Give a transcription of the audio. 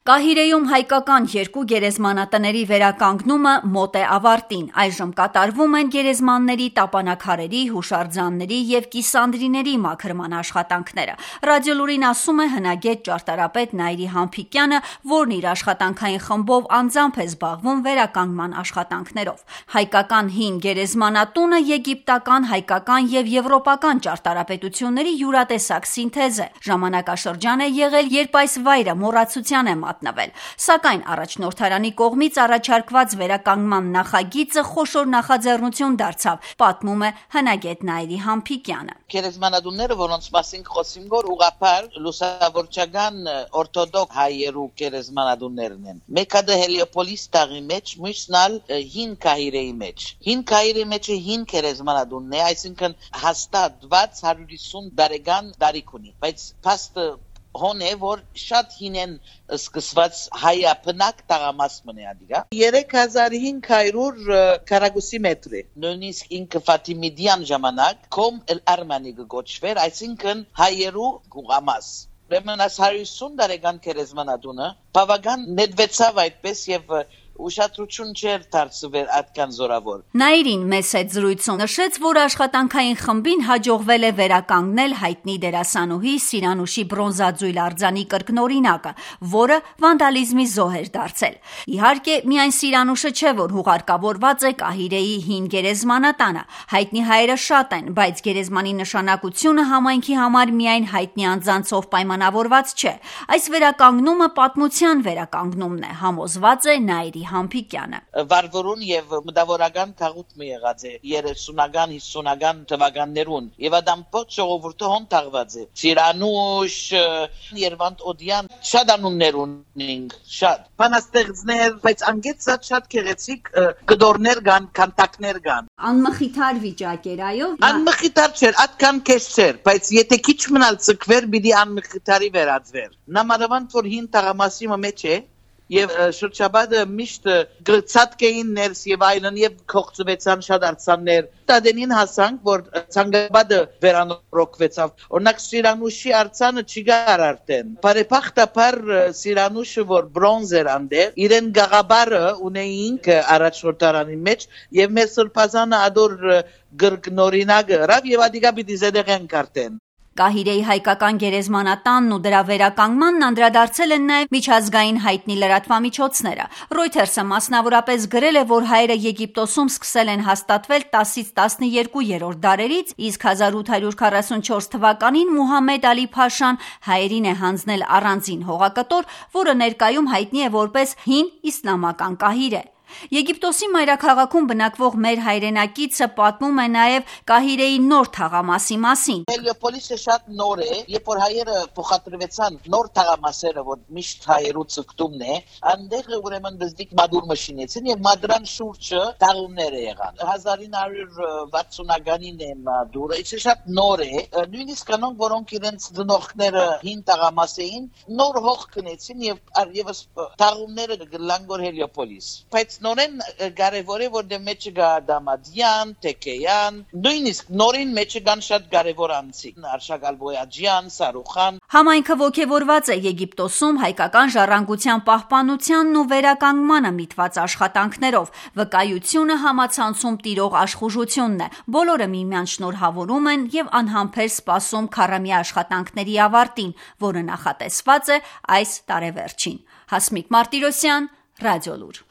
Կահիրեում հայկական երկու գերեզմանատների վերականգնումը մոտ է ավարտին։ Այժմ կատարվում են գերեզմանների, տապանաքարերի, հուշարձանների և կիսանդրիների մաքրման աշխատանքները։ Ռադիոլուրին ասում է հնագետ ճարտարապետ Նաիրի Համփիկյանը, որն իր աշխատանքային խմբով անձամբ է զբաղվում վերականգնման աշխատանքներով։ Հայկական հին գերեզմանատունը եգիպտական, հայկական և եվրոպական ճարտարապետությունների յուրատեսակ սինթեզ է։ Ժամանակաշրջան է եղել, երբ այս վայրը մոռացության է մատնվել, սակայն առաջնորդարանի կողմից առաջարկված վերականգնման նախագիծը խոշոր նախաձեռնություն դարձավ, պատմում է հնագետ Նաիրի Համփիկյանը։ Գերեզմանատունները, որոնց մասին խոսում գոր ուղղափառ լուսավորչական օրթոդոքս հայերու գերեզմանատուններն են։ Մեկը Հելիոպոլիս տաղի մեջ, մյուսն ալ հին Կահիրեի մեջ։ Հին Կահիրեի մեջը հին գերեզմանատունն է, այսինքն հաստատված 150 տարեկան տարիք ունի, բայց փաստը հոն է, որ շատ հին են սկսված հայապնակ տաղամասմն է ադիգա 3500 քառակուսի մետր է, նույնիսկ ինքը Ֆաթիմիդյան ժամանակ կոմ էլ արմանի գոչվեր, այսինքն հայերու գուղամաս։ Ուրեմն այս 150 տարեկան գերեզմանատունը բավական նետվեցավ այդպես եւ ուշադրություն չէր դարձվել այդքան զորավոր։ Նաիրին մեծ հետ զրույցում նշեց, որ աշխատանքային խմբին հաջողվել է վերականգնել հայտնի դերասանուհի Սիրանուշի բրոնզաձույլ արձանի կրկնօրինակը, որը վանդալիզմի զոհ էր դարձել։ Իհարկե, միայն Սիրանուշը չէ, որ հուղարկավորված է Կահիրեի հին գերեզմանատանը։ Հայտնի հայերը շատ են, բայց գերեզմանի նշանակությունը համայնքի համար միայն հայտնի անձանցով պայմանավորված չէ։ Այս վերականգնումը պատմության վերականգնումն է, համոզված է Նաիրի Համփիկյանը։ Վարվորուն եւ մտավորական քաղուտ մի եղած է 30-ական, 50-ական թվականներուն եւ ադամպոտ ժողովուրդը հոն թաղված է։ Սիրանուշ, Երվանդ Օդյան, շատ անուններ ունենք, շատ բանաստեղծներ, բայց անգեցած շատ գեղեցիկ գդորներ կան, կանտակներ կան։ Անմխիթար վիճակ էր, այո։ Անմխիթար չէր, այդքան քեզ չէր, բայց եթե քիչ մնալ ցկվեր, պիտի անմխիթարի վերածվեր։ Նամանավանդ որ հին տաղամասի մեջ է Եվ շրջաբադը միշտ գրծածկեին ներս եւ այլն եւ կողծվեցան շատ արձաններ։ Տադենին հասանք, որ ցանգաբադը վերանորոգվեցավ։ Օրինակ Սիրանուշի արձանը չկար արդեն։ Բարեփոխտաբար Սիրանուշը, որ բրոնզ էր անդեր, իրեն գաղաբարը ունեինք առաջնորդարանի մեջ եւ մեր սրբազանը ադոր գրգնորինակ գրավ եւ ադիգա պիտի զեդեղեն կարտեն։ Կահիրեի հայկական գերեզմանատանն ու դրա վերականգմանն անդրադարձել են նաև միջազգային հայտնի լրատվամիջոցները։ Reuters-ը մասնավորապես գրել է, որ հայերը Եգիպտոսում սկսել են հաստատվել 10-ից 12-րդ դարերից, իսկ 1844 թվականին Մուհամմեդ Ալի Փաշան հայերին է հանձնել առանձին հողակտոր, որը ներկայում հայտնի է որպես հին իսլամական Կահիրե։ Եգիպտոսի մայրաքաղաքում բնակվող մեր հայրենակիցը պատմում է նաև Կահիրեի նոր թաղամասի մասին։ Հելիոպոլիսը շատ նոր է, երբ որ հայերը փոխադրվեցան նոր թաղամասերը, որ միշտ հայերու ցկտումն է, այնտեղ ուրեմն դզդիկ մադուր մշինեցին եւ մադրան շուրջը տաղումներ եղան։ 1960-ականին է մադուրը, իսկ շատ նոր է, նույնիսկ կանոնք, որոնք իրենց դնողները հին տաղամաս էին, նոր հող կնեցին եւ տաղումները գլանգոր Հելիոպոլիս։ Բայց նորեն կարևոր է, որ դե մեջը գա Դամադյան, Տեկեյան, նույնիսկ նորին մեջը կան շատ կարևոր անձիկ, Արշակալ Բոյաջյան, Սարուխան։ Համայնքը ոգևորված է Եգիպտոսում հայկական ժառանգության պահպանությանն ու վերականգմանը միտված աշխատանքներով։ Վկայությունը համացանցում տիրող աշխուժությունն է։ Բոլորը միմյանց շնորհավորում են եւ անհամբեր սպասում քառամյա աշխատանքների ավարտին, որը նախատեսված է այս տարեվերջին։ Հասմիկ Մարտիրոսյան, Ռադիոլուր։